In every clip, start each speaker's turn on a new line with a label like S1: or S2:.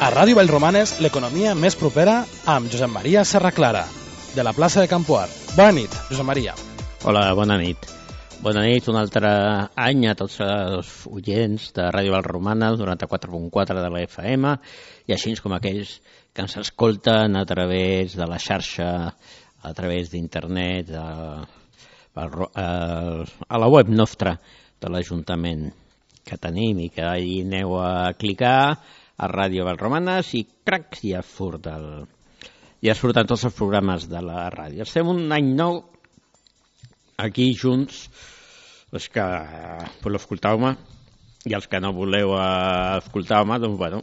S1: A Ràdio Vallromanes, l'economia més propera amb Josep Maria Serraclara, de la plaça de Campoar. Bona nit, Josep Maria.
S2: Hola, bona nit. Bona nit, un altre any a tots els oients de Ràdio Vallromanes, 94.4 de la FM, i així com aquells que ens escolten a través de la xarxa, a través d'internet, a la web nostra de l'Ajuntament que tenim i que hi aneu a clicar a Ràdio Vallromanes i crac, ja surten tots els programes de la ràdio. Estem un any nou aquí junts, els que voleu escoltar-me i els que no voleu escoltar-me, doncs bueno,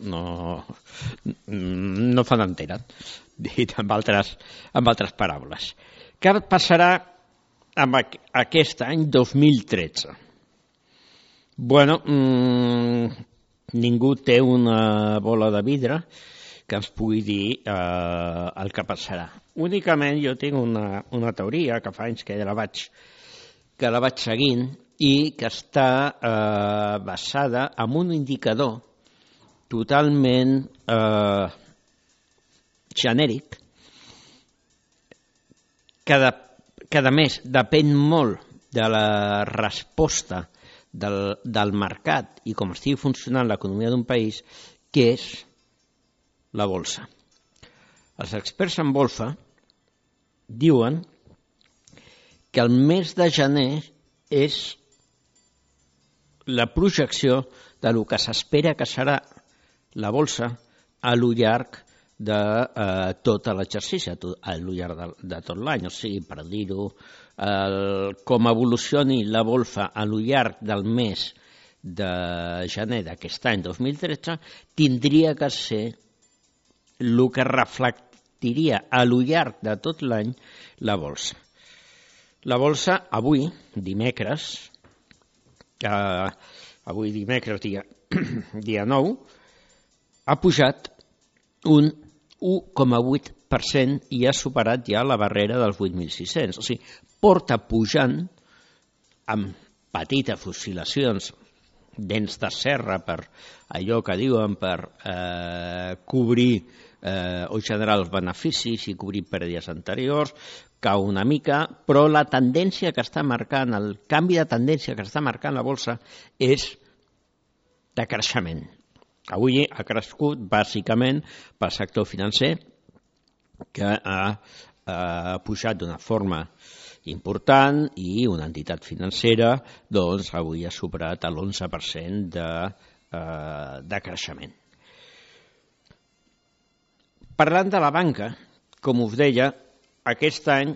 S2: no fan entera, dit amb altres paraules. Què passarà amb aquest any 2013? Bueno, ningú té una bola de vidre que ens pugui dir el que passarà. Únicament jo tinc una teoria que fa anys que la vaig seguint i que està basada en un indicador totalment genèric que a més depèn molt de la resposta del mercat i com estigui funcionant l'economia d'un país, que és la bolsa. Els experts en bolsa diuen que el mes de gener és la projecció de lo que s'espera que serà la bolsa a lo llarg de tot l'exercici, a lo llarg de tot l'any. O sigui, per dir-ho, com evolucioni la bolsa a lo llarg del mes de gener d'aquest any 2013, tindria que ser el que reflectiria a lo llarg de tot l'any la bolsa. La bolsa avui, dimecres, dia 9, ha pujat un 1,8% i ha superat ja la barrera dels 8.600. O sigui, porta pujant amb petites oscil·lacions, dents de serra per allò que diuen per cobrir o generar els beneficis i cobrir pèrdues anteriors, cau una mica, però la tendència que està marcant, el canvi de tendència que està marcant la bolsa és de creixement. Avui ha crescut bàsicament pel sector financer, que ha pujat d'una forma important i una entitat financera doncs avui ha superat l'11% de creixement. Parlant de la banca, com us deia, aquest any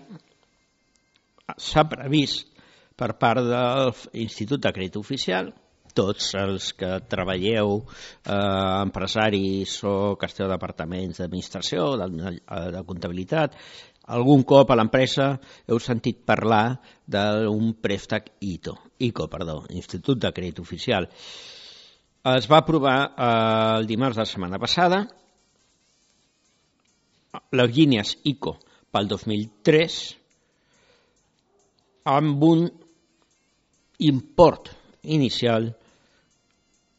S2: s'ha previst per part de l'Institut de Crèdit Oficial, tots els que treballeu, empresaris o que esteu a departaments d'administració, de comptabilitat, algun cop a l'empresa heu sentit parlar d'un préstec ICO, Institut de Crèdit Oficial. Es va aprovar el dimarts de la setmana passada les línies ICO pel 2003 amb un import inicial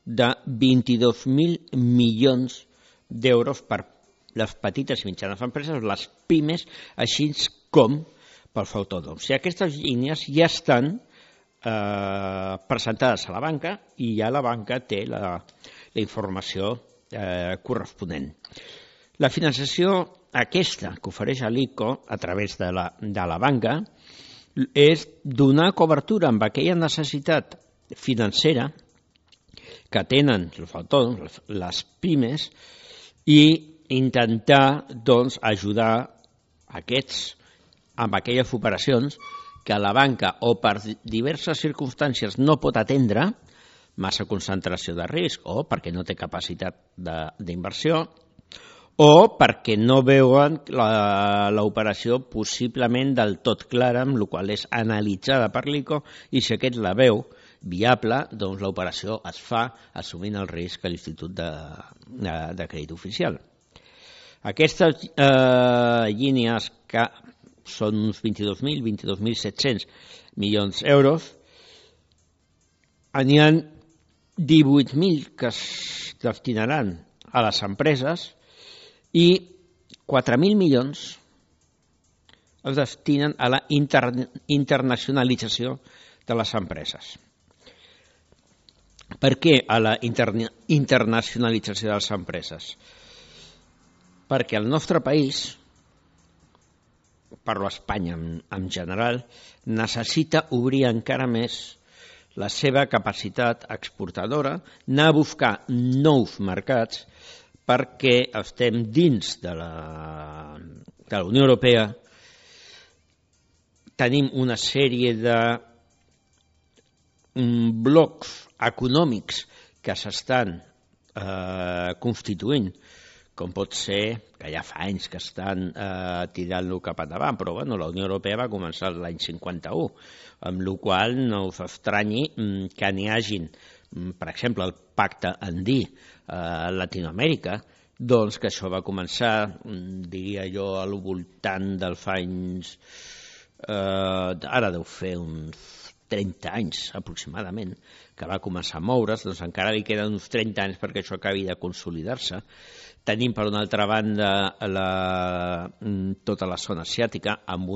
S2: de 22.000 milions d'euros per les petites i mitjanes empreses, les pimes, així com pels autònoms. I aquestes línies ja estan presentades a la banca i ja la banca té la informació corresponent. La finançació aquesta que ofereix l'ICO a través de la banca és donar cobertura amb aquella necessitat financera que tenen els autònoms, les pimes, i intentar doncs, ajudar aquests amb aquelles operacions que la banca o per diverses circumstàncies no pot atendre, massa concentració de risc o perquè no té capacitat d'inversió o perquè no veuen l'operació possiblement del tot clara, amb la qual és analitzada per l'ICO, i si aquest la veu viable, doncs l'operació es fa assumint el risc a l'Institut de Crèdit Oficial. Aquestes línies que són uns 22.700 milions d'euros, n'hi ha 18.000 que es destinaran a les empreses i 4.000 milions es destinen a la internacionalització de les empreses. Per què a la internacionalització de les empreses? Perquè el nostre país, parlo Espanya en general, necessita obrir encara més la seva capacitat exportadora, anar a buscar nous mercats, perquè estem dins de la Unió Europea, tenim una sèrie de blocs econòmics que s'estan constituint, com pot ser, que ja fa anys que estan tirant-lo cap endavant, però bueno, la Unió Europea va començar l'any 51, amb la qual cosa no us estranyi que n'hi hagin, per exemple, el Pacte Andí a Latinoamèrica, doncs que això va començar, diria jo, al voltant dels anys, ara deu fer uns 30 anys aproximadament, que va començar a moure's, doncs encara li queden uns 30 anys perquè això acabi de consolidar-se. Tenim, per una altra banda, tota la zona asiàtica, amb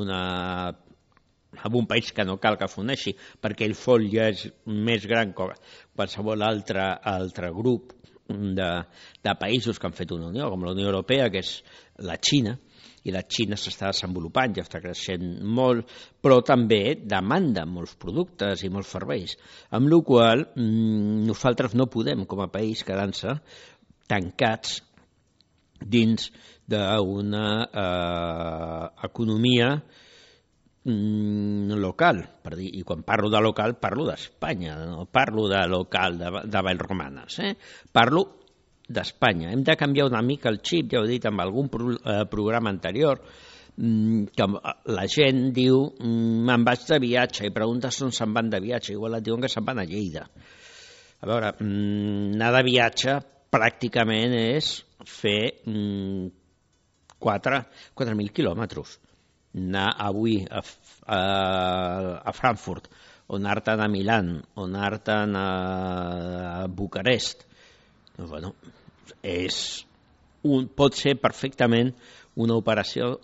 S2: un país que no cal que s'uneixi, perquè el FOL ja és més gran que qualsevol altre grup de països que han fet una unió, com la Unió Europea, que és la Xina, i la Xina s'està desenvolupant, ja està creixent molt, però també demanda molts productes i molts serveis, amb la qual cosa nosaltres no podem, com a país, quedar-se tancats dins d'una economia local, i quan parlo de local parlo d'Espanya, no parlo de local de Vallromanes, parlo d'Espanya. Hem de canviar una mica el xip, ja ho he dit en algun programa anterior, que la gent diu me'n vaig de viatge i preguntes on se'n van de viatge, igual et diuen que se'n van a Lleida. A veure, anar de viatge pràcticament és fer 4.000 quilòmetres. Anar avui a Frankfurt, o anar-te'n a Milán, o anar-te'n a Bucarest. Bueno, pot ser perfectament una operació,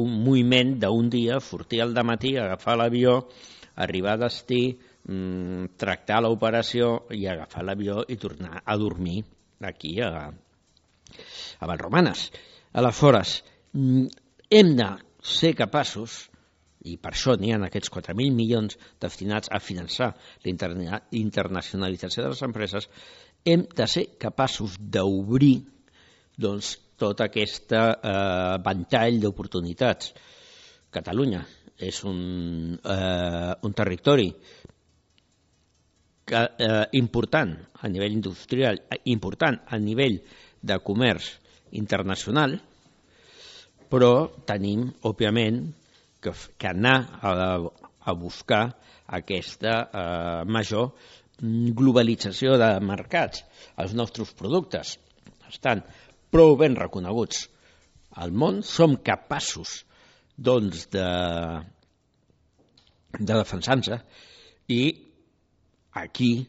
S2: un moviment d'un dia, sortir al dematí, agafar l'avió, arribar a destí, tractar l'operació i agafar l'avió i tornar a dormir aquí a Vallromanes. Aleshores, hem de ser capaços, i per això n'hi ha aquests 4.000 milions destinats a finançar la internacionalització de les empreses, hem de ser capaços d'obrir tot aquest ventall d'oportunitats. Catalunya és un territori important a nivell industrial, important a nivell de comerç internacional, però tenim, òbviament, que anar a buscar aquesta major globalització de mercats. Els nostres productes estan prou ben reconeguts al món, som capaços de defensar-nos, i aquí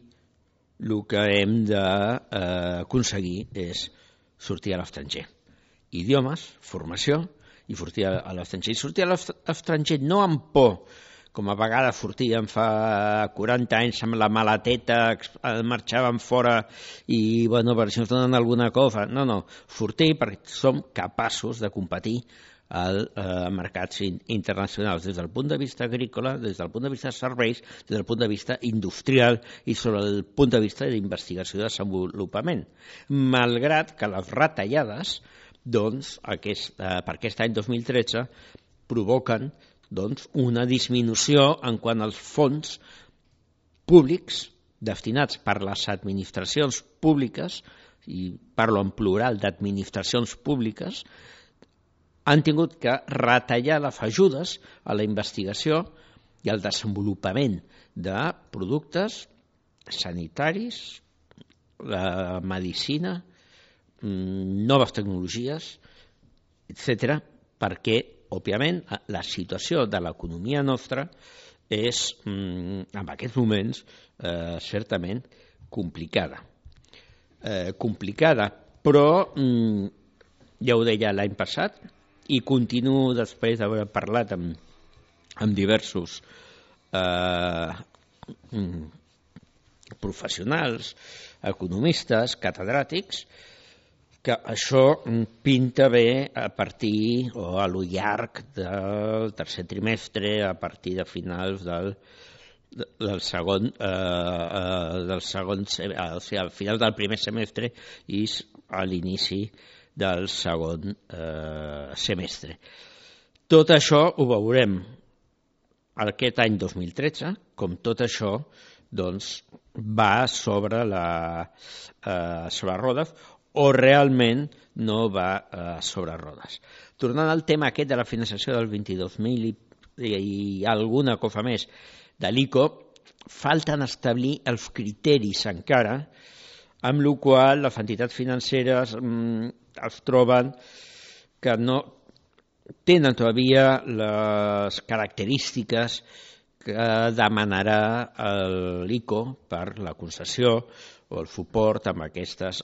S2: el que hem d'aconseguir és sortir a l'estranger. Idiomes, formació, i sortir a l'estranger. I sortir a l'estranger no amb por, com a vegades sortíem fa 40 anys amb la maleteta, marxàvem fora i, bueno, per això ens donen alguna cosa. No, sortir perquè som capaços de competir als mercats internacionals des del punt de vista agrícola, des del punt de vista de serveis, des del punt de vista industrial i sobre el punt de vista d'investigació i desenvolupament. Malgrat que les retallades, per aquest any 2013, provoquen una disminució en quant als fons públics destinats per les administracions públiques, i parlo en plural d'administracions públiques, han tingut que retallar les ajudes a la investigació i al desenvolupament de productes sanitaris, la medicina, noves tecnologies, etc., perquè, òbviament, la situació de l'economia nostra és, en aquests moments, certament complicada. Complicada però ja ho deia l'any passat i continuo després d'haver parlat amb diversos professionals, economistes, catedràtics, que això pinta bé a partir o a lo llarg del tercer trimestre, a partir de finals del segon, o sigui, al final del primer semestre i a l'inici del segon semestre. Tot això ho veurem aquest any 2013, com tot això doncs, va sobre rodes o realment no va sobre rodes. Tornant al tema aquest de la financiació del 22.000 i alguna cosa més de l'ICO, falten establir els criteris encara, amb la qual les entitats financeres es troben que no tenen todavía les característiques que demanarà l'ICO per la concessió o el suport amb aquestes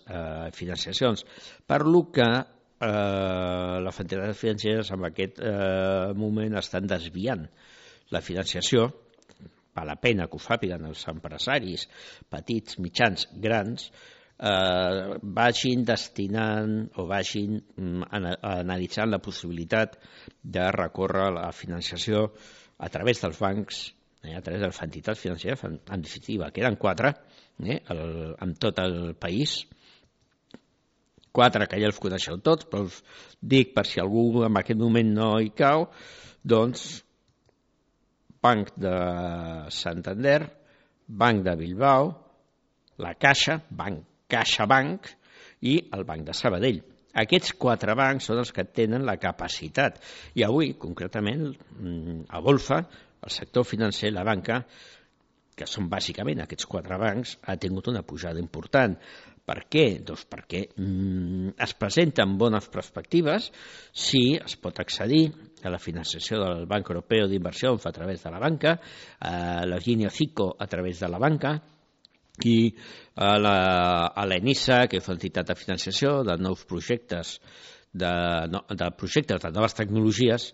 S2: financiacions. Per lo que les entitats financeres en aquest moment estan desviant la financiació. Val la pena que ho sàpiguen els empresaris petits, mitjans, grans, vagin destinant o vagin analitzant la possibilitat de recórrer la financiació a través dels bancs, a través de les entitats financeres, en definitiva, queden 4 en tot el país, 4 que ja els coneixeu tots, però us dic per si algú en aquest moment no hi cau, doncs Banc de Santander, Banc de Bilbao, la Caixa, CaixaBank i el Banc de Sabadell. Aquests 4 bancs són els que tenen la capacitat. I avui, concretament, a Bolfa, el sector financer, la banca, que són bàsicament aquests 4 bancs, ha tingut una pujada important. Per què? Doncs perquè es presenten bones perspectives si es pot accedir a la financiació del Banc Europeu d'Inversions a través de la banca, a la línia FICO a través de la banca i a l'ENISA, que és l'entitat de financiació de nous projectes, de projectes de noves tecnologies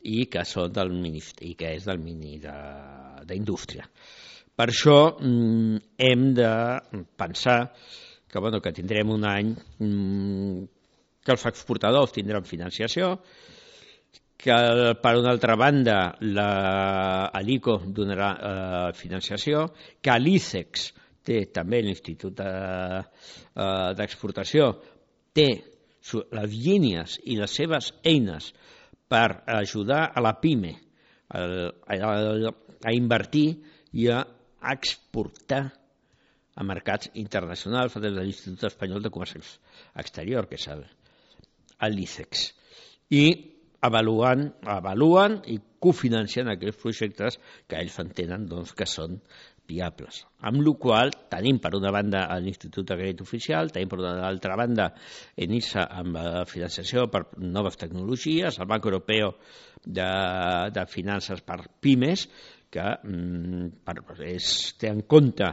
S2: i que són del Ministeri, i que és del Ministeri d'Indústria. Per això hem de pensar que tindrem un any que els exportadors tindran financiació, que per una altra banda l'ICO donarà financiació, que l'ICEX té també l'Institut d'Exportació, té les línies i les seves eines per ajudar a la PIME a invertir i a exportar a mercats internacionals des de l'Institut Espanyol de Comerç Exterior, que és l'ICEX. I avaluen i cofinancien aquells projectes que ells entenen que són viables. Amb la qual cosa tenim per una banda l'Institut de Crèdit Oficial, tenim per una altra banda ENISA amb financiació per noves tecnologies, el Banc Europeu de Finances per Pimes, que té en compte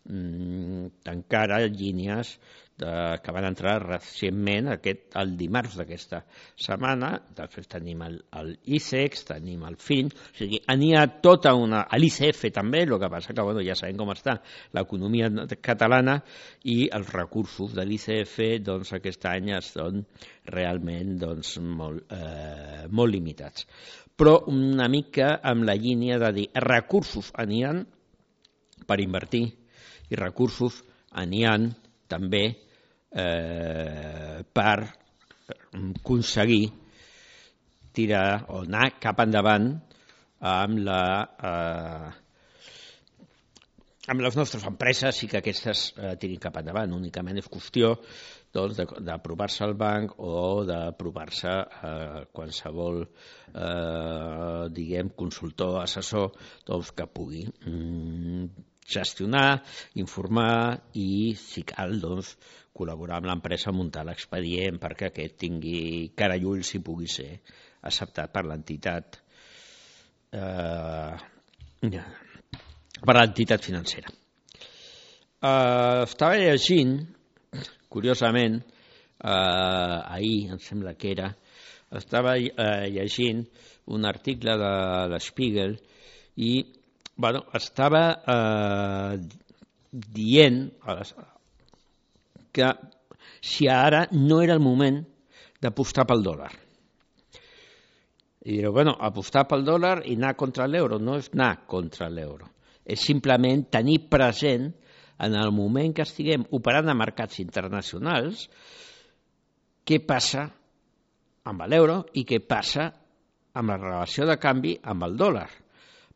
S2: encara línies que van entrar recentment el dimarts d'aquesta setmana. Després tenim l'ICEX, tenim el FIN, o sigui, n'hi ha tota una... l'ICF també, el que passa que ja sabem com està l'economia catalana i els recursos de l'ICF aquest any són realment molt limitats. Però una mica amb la línia de dir recursos n'hi ha per invertir i recursos n'hi ha també per aconseguir tirar o anar cap endavant amb les nostres empreses i que aquestes tirin cap endavant. Únicament és qüestió d'aprovar-se al banc o d'aprovar-se qualsevol consultor, assessor que pugui gestionar, informar i, si cal, col·laborar amb l'empresa a muntar l'expedient perquè aquest tingui cara i ulls i pugui ser acceptat per l'entitat financera. Estava llegint, curiosament, ahir, em sembla que era, estava llegint un article de l'Spiegel i estava dient que si ara no era el moment d'apostar pel dòlar. I direu, apostar pel dòlar i anar contra l'euro no és anar contra l'euro, és simplement tenir present en el moment que estiguem operant a mercats internacionals què passa amb l'euro i què passa amb la relació de canvi amb el dòlar.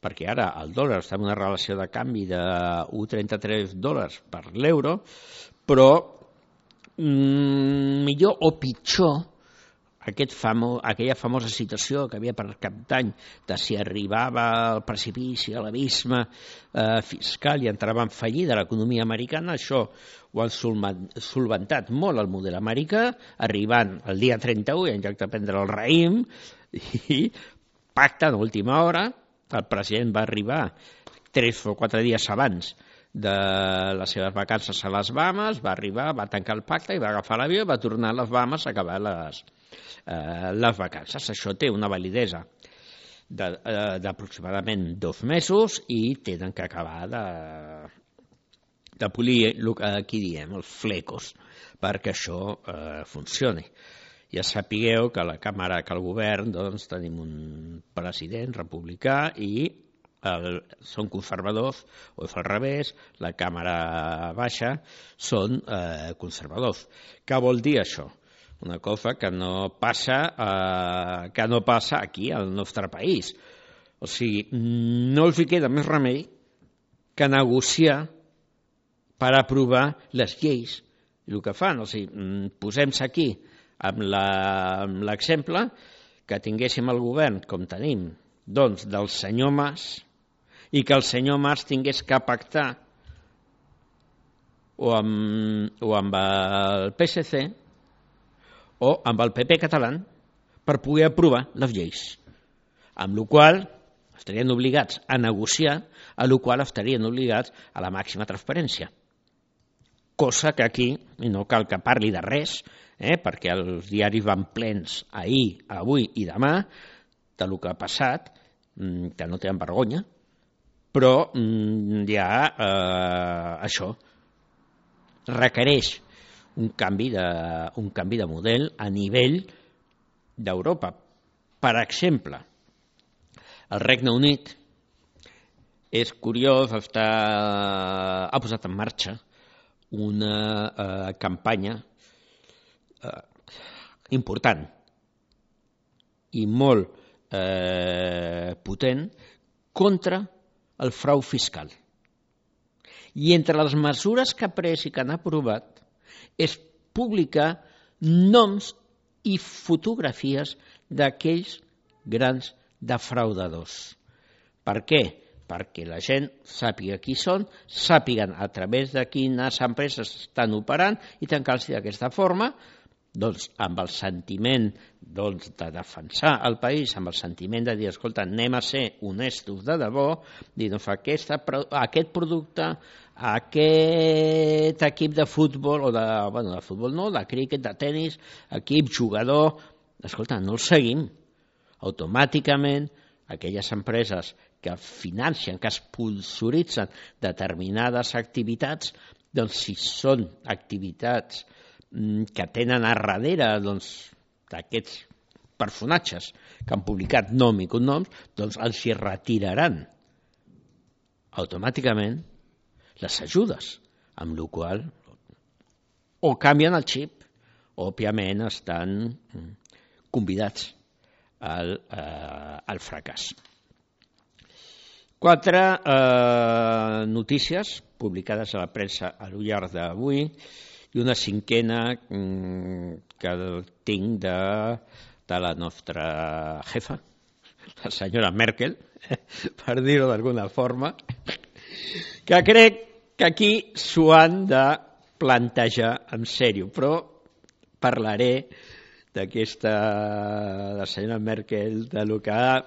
S2: Perquè ara el dòlar està en una relació de canvi de 1,33 dòlars per l'euro, però millor o pitjor aquella famosa situació que havia per cap d'any de si arribava al precipici, a l'abisme fiscal i entrava en fallida l'economia americana, això ho han solventat molt el model americà, arribant el dia 31 i en lloc de prendre el raïm i pacte d'última hora. El president va arribar 3 o 4 dies abans de les seves vacances a les Bahames, va arribar, va tancar el pacte i va agafar l'avió i va tornar a les Bahames a acabar les vacances. Això té una validesa d'aproximadament 2 mesos i tenen que acabar de polir el que aquí diem, els flecos, perquè això funcioni. Ja sapigueu que la Càmera, que el govern, doncs tenim un president republicà i són conservadors, o és al revés, la Càmera Baixa són conservadors. Què vol dir això? Una cosa que no passa aquí al nostre país. O sigui, no els hi queda més remei que negociar per aprovar les lleis. I el que fan, o sigui, posem-se aquí amb l'exemple que tinguéssim el govern, com tenim, doncs, del senyor Mas, i que el senyor Mas tingués que pactar o amb el PSC o amb el PP català per poder aprovar les lleis, amb la qual estarien obligats a negociar, a la qual estarien obligats a la màxima transparència. Cosa que aquí, i no cal que parli de res, perquè els diaris van plens ahir, avui i demà del que ha passat, que no tenen vergonya, però ja això requereix un canvi de model a nivell d'Europa. Per exemple, el Regne Unit és curiós, ha posat en marxa una campanya important i molt potent contra el frau fiscal. I entre les mesures que ha pres i que han aprovat és publicar noms i fotografies d'aquells grans defraudadors. Per què? Perquè la gent sàpiga qui són, sàpiguen a través de quines empreses estan operant i tancar-los d'aquesta forma, doncs, amb el sentiment de defensar el país, amb el sentiment de dir, escolta, anem a ser honestos de debò, dir, doncs, aquest producte, aquest equip de futbol, o de futbol no, de críquet, de tennis, equip, jugador, escolta, no el seguim. Automàticament, aquelles empreses que financen, que sponsoritzen determinades activitats, doncs si són activitats que tenen a darrere d'aquests personatges que han publicat nom i cognoms, doncs els hi retiraran automàticament les ajudes, amb la qual o canvien el xip o òbviament estan convidats al fracàs. 4 notícies publicades a la premsa al llarg d'avui i una 5a que tinc de la nostra jefa, la senyora Merkel, per dir-ho d'alguna forma, que crec que aquí s'ho han de plantejar en sèrio, però parlaré d'aquesta de la senyora Merkel, de lo que ha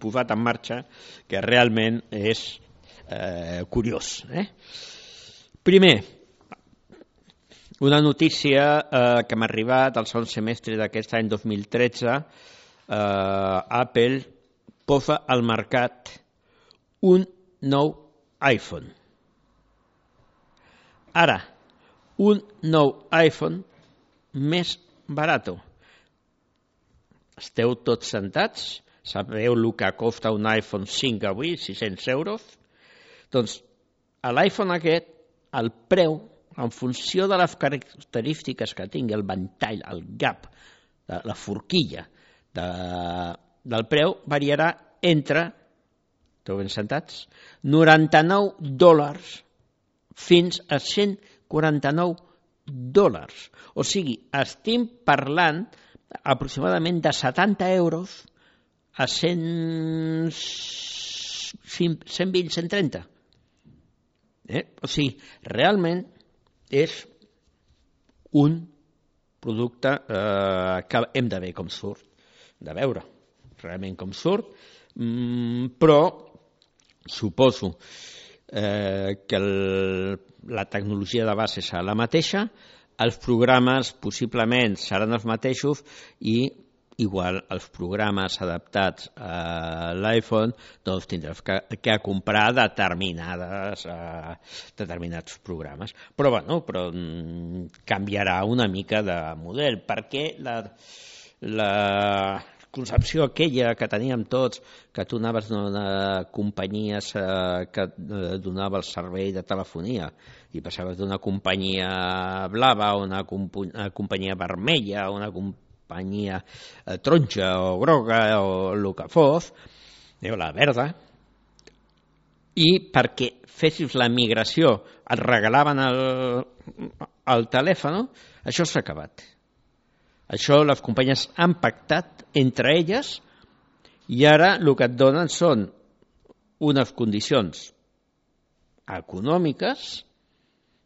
S2: posat en marxa, que realment és curiós. Primer, Una notícia que m'ha arribat al segon semestre d'aquest any 2013, Apple posa al mercat un nou iPhone. Ara, un nou iPhone més barato. Esteu tots sentats? Sabeu el que costa un iPhone 5 avui? 600 euros? Doncs a l'iPhone aquest, el preu, en funció de les característiques que tingui, el ventall, el gap, la forquilla del preu, variarà entre, esteu ben sentats, $99 fins a $149. O sigui, estem parlant aproximadament de 70 euros a 120, 130. O sigui, realment és un producte que hem de veure com surt, de veure realment com surt, però suposo que la tecnologia de base serà la mateixa, els programes possiblement seran els mateixos i igual els programes adaptats a l'iPhone doncs tindràs que comprar determinats programes. Però canviarà una mica de model, perquè la concepció aquella que teníem tots, que tu anaves d'una companyia que donava el servei de telefonia i passaves d'una companyia blava a una companyia vermella, una companyia taronja o groga o el que fos, la verda, i perquè fessis la migració et regalaven el telèfon, això s'ha acabat. Això les companyies han pactat entre elles i ara el que et donen són unes condicions econòmiques.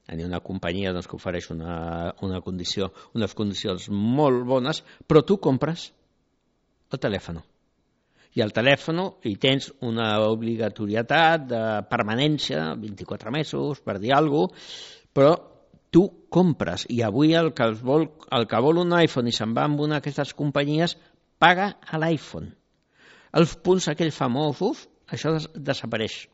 S2: Hi ha una companyia que ofereix unes condicions molt bones, però tu compres el telèfon. I al telèfon hi tens una obligatorietat de permanència, 24 mesos, per dir alguna cosa, però tu compres, i avui el que vol un iPhone i se'n va amb una d'aquestes companyies paga a l'iPhone. Els punts aquells famosos, això desapareix.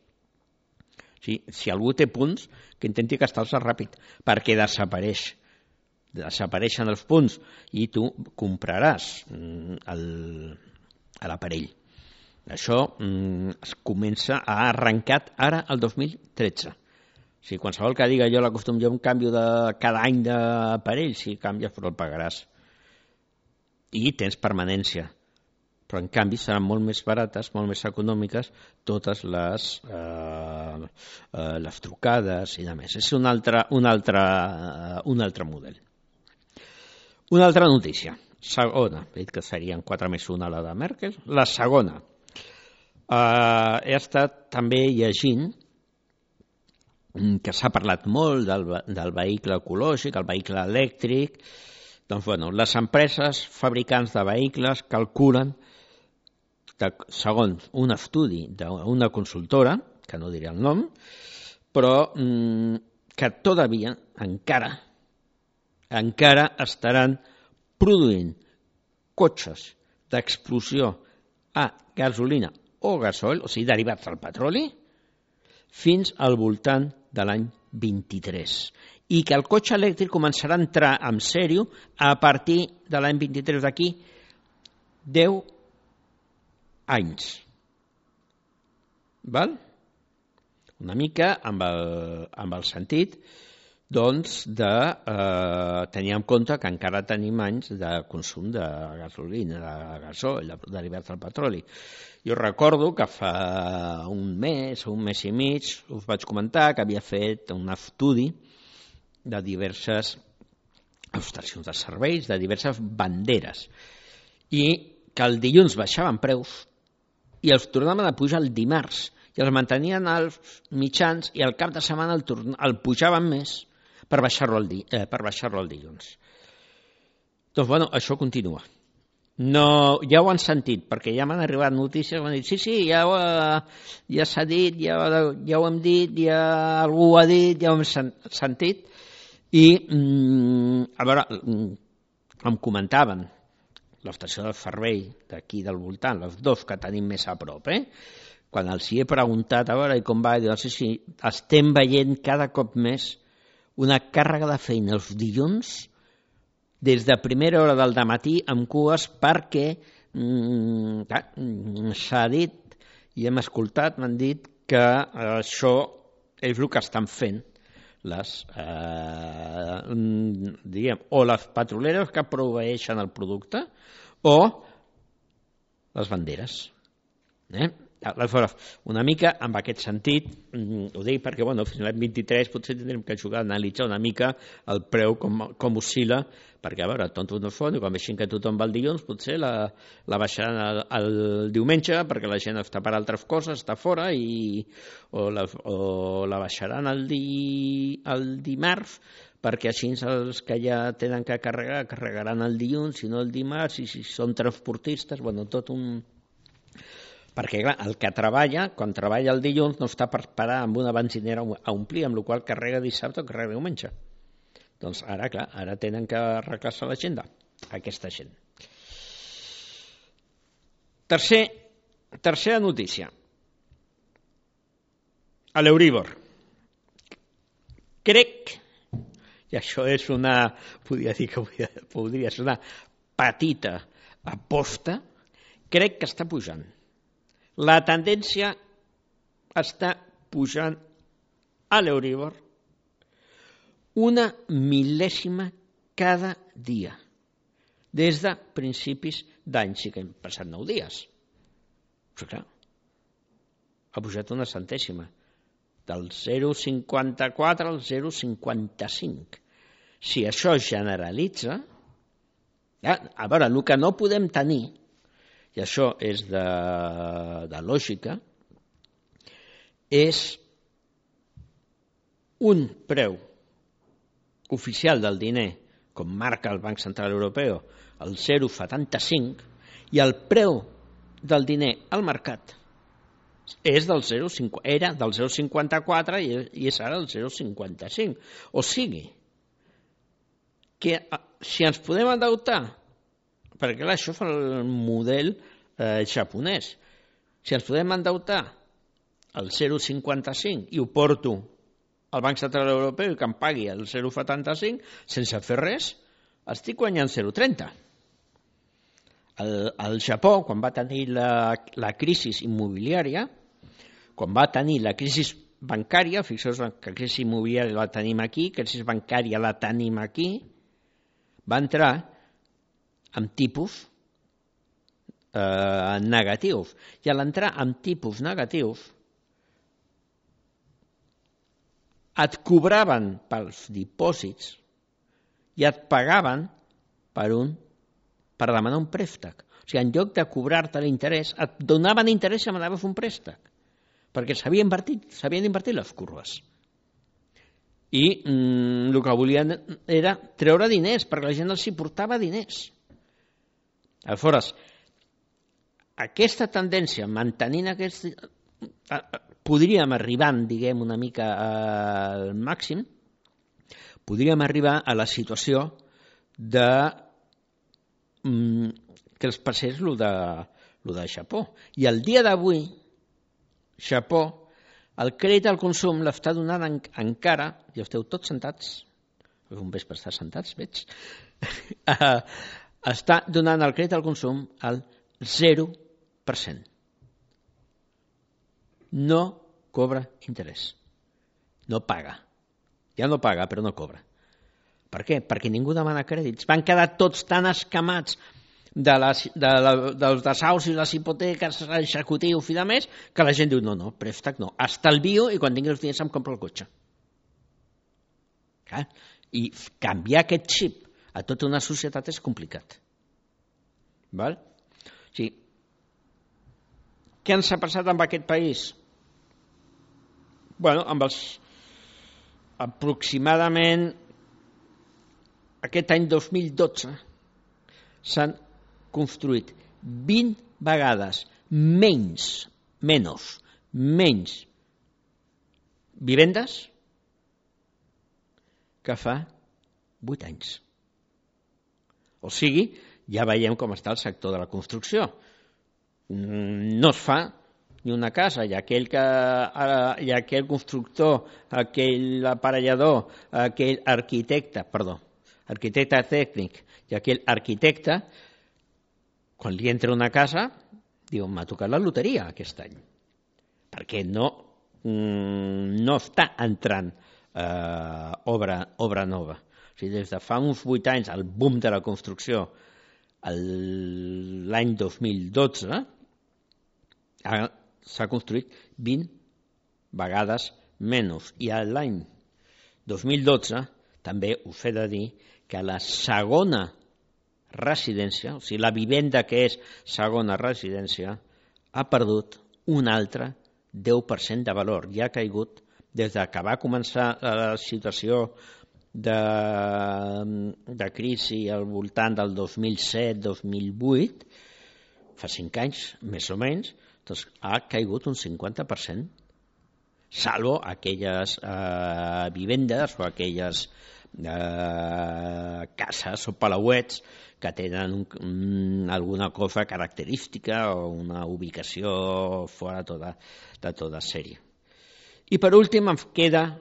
S2: Si algú té punts, que intenti gastar-los ràpid, perquè desapareixen els punts i tu compraràs l'aparell. Això es comença a arrencar ara el 2013. Si qualsevol que diga jo l'acostum jo un canvi de cada any d'aparell, si canvies però el pagaràs. I tens permanència. Però en canvi seran molt més barates, molt més econòmiques, totes les trucades i demés. És un altre model. Una altra notícia. Segona, he dit que serien 4+1 la de Merkel. La segona. He estat també llegint que s'ha parlat molt del vehicle ecològic, el vehicle elèctric. Doncs, les empreses fabricants de vehicles calculen, segons un estudi d'una consultora, que no diré el nom, però que todavía encara estaran produint cotxes d'explosió a gasolina o gasoil, o sigui, derivats del petroli, fins al voltant de l'any 23. I que el cotxe elèctric començarà a entrar en sèrio a partir de l'any 23, d'aquí 10 anys. Val? Una mica amb el sentit de tenir en compte que encara tenim anys de consum de gasolina, de gasoil, derivats del petroli. Jo recordo que fa un mes i mig us vaig comentar que havia fet un estudi de diverses estacions de serveis, de diverses banderes, i que el dilluns baixaven preus i els tornaven a pujar el dimarts, i els mantenien als mitjans i al cap de setmana el pujaven més per baixar-lo el dilluns. Doncs, això continua. No, ja ho han sentit, perquè ja m'han arribat notícies, m'han dit, sí, ja s'ha dit, ja ho hem dit, ja algú ho ha dit, ja ho hem sentit, I, a veure, em comentaven l'estació del servei d'aquí del voltant, les dos que tenim més a prop, quan els hi he preguntat a veure com va, diuen, sí, estem veient cada cop més una càrrega de feina els dilluns des de primera hora del dematí amb cues perquè s'ha dit i hem escoltat, m'han dit que això és el que estan fent o les petroleres que proveeixen el producte o les banderes. Aleshores, una mica en aquest sentit, ho dic perquè fins l'any 23 potser tindrem que jugar a analitzar una mica el preu com oscil·la, perquè a veure, tontos no són, i quan veixin que tothom va el dilluns, potser la baixaran el diumenge perquè la gent està per altres coses, està fora, o la baixaran el dimarts, perquè així els que ja tenen que carregar, carregaran el dilluns, si no el dimarts, i si són transportistes, tot un... Perquè, clar, el que treballa, quan treballa el dilluns, no està per parar amb una benzinera a omplir, amb la qual carrega dissabte o carrega diumenge. Doncs ara, clar, ara tenen que arreglar-se l'agenda, aquesta gent. Tercera notícia. A l'Euríbor. Crec, i això és podria ser una petita aposta, crec que està pujant. La tendència està pujant a l'Euríbor una mil·lèsima cada dia, des de principis d'any, sí que hem passat 9 dies. Però clar, ha pujat una centèsima, del 0,54 al 0,55. Si això es generalitza, a veure, el que no podem tenir, i això és de lògica, és un preu oficial del diner, com marca el Banc Central Europeu, el 0,75, i el preu del diner al mercat és era del 0,54 i és ara el 0,55. O sigui, que si ens podem endeutar, perquè clar, això fa el model japonès. Si ens podem endeutar el 0,55 i ho porto al Banc Central Europeu i que em pagui el 0,75 sense fer res, estic guanyant 0,30. El Japó, quan va tenir la crisi immobiliària, quan va tenir la crisi bancària, fixeu-vos que la crisi immobiliària la tenim aquí, la crisi bancària la tenim aquí, va entrar amb tipus negatius. I a l'entrar amb tipus negatius et cobraven pels dipòsits i et pagaven per demanar un préstec. O sigui, en lloc de cobrar-te l'interès, et donaven interès si demanaves un préstec, perquè s'havien invertit les curves. I el que volien era treure diners, perquè la gent els hi portava diners. Aleshores, aquesta tendència, mantenint podríem arribar, diguem, una mica al màxim, podríem arribar a la situació de que els passés el de Japó. I el dia d'avui, Japó, el crèdit al consum l'està donant encara, i esteu tots sentats, un vespre estar sentats, veig, està donant el crèdit al consum al 0%. No cobra interès. No paga. Ja no paga, però no cobra. Per què? Perquè ningú demana crèdits. Van quedar tots tan escamats dels desaus i les hipoteques executius i de més, que la gent diu, no, préstec no, estalvio i quan tingui els diners em compro el cotxe. I canviar aquest xip a tota una societat és complicat. Val? Sí. Què ens ha passat amb aquest país? Amb els aproximadament aquest any 2012 s'han construït 20 vegades menys vivendes que fa 8 anys. O sigui, ja veiem com està el sector de la construcció. No es fa ni una casa, i aquell constructor, aquell aparellador, aquell arquitecte tècnic i aquell arquitecte, quan li entra una casa, diu, m'ha tocat la loteria aquest any, perquè no està entrant obra nova. O sigui, des de fa uns 8 anys, el boom de la construcció, l'any 2012, s'ha construït 20 vegades menys. I l'any 2012 també us he de dir que la segona residència, o sigui, la vivenda que és segona residència, ha perdut un altre 10% de valor. Ja ha caigut des que va començar la situació de crisi al voltant del 2007-2008, fa 5 anys, més o menys, doncs ha caigut un 50%, salvo aquelles vivendes o aquelles cases o palauets que tenen alguna cosa característica o una ubicació fora de tota sèrie. I per últim em queda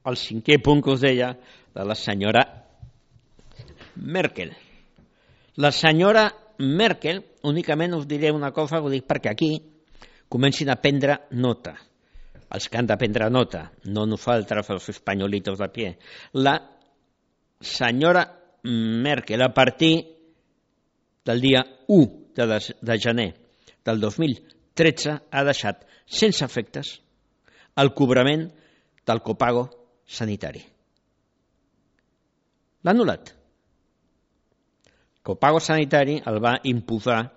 S2: el 5è punt que us deia de la senyora Merkel. La senyora Merkel, únicament us diré una cosa, ho dic perquè aquí comencin a prendre nota. Els que han de prendre nota, no nosaltres, els espanyolitos de pie. La senyora Merkel, a partir del dia 1 de gener del 2013, ha deixat sense efectes el cobrament del copago sanitari. L'ha anul·lat. El copago sanitari el va imposar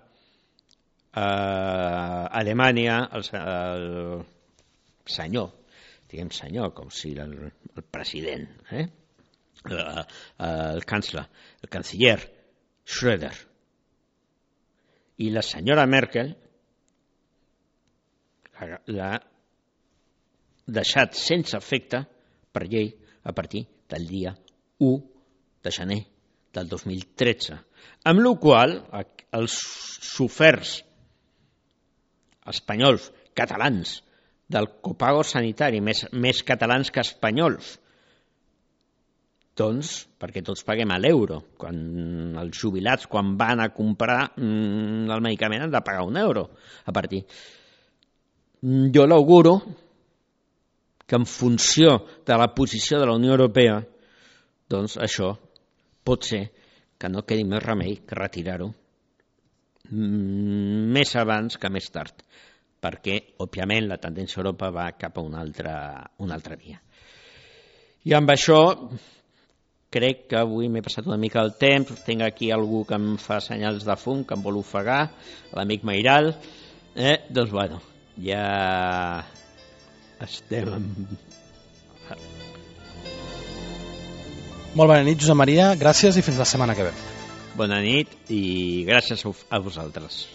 S2: a Alemanya el senyor, diguem senyor, com si el president, el canciller Schröder. I la senyora Merkel l'ha deixat sense efecte per llei a partir del dia 1 de gener del 2013, amb la qual cosa els soferts espanyols, catalans, del copago sanitari, més catalans que espanyols, doncs, perquè tots paguem a l'euro, quan els jubilats, quan van a comprar el medicament, han de pagar €1 a partir. Jo l'auguro que en funció de la posició de la Unió Europea, doncs això pot ser que no quedi més remei que retirar-ho més abans que més tard, perquè, òbviament, la tendència a Europa va cap a una altra via. I amb això crec que avui m'he passat una mica el temps, tinc aquí algú que em fa senyals de fum, que em vol ofegar, l'amic Mairal, doncs bueno, ja estem...
S1: Molt bona nit, Josep Maria, gràcies i fins la setmana que ve.
S2: Bona nit i gràcies a vosaltres.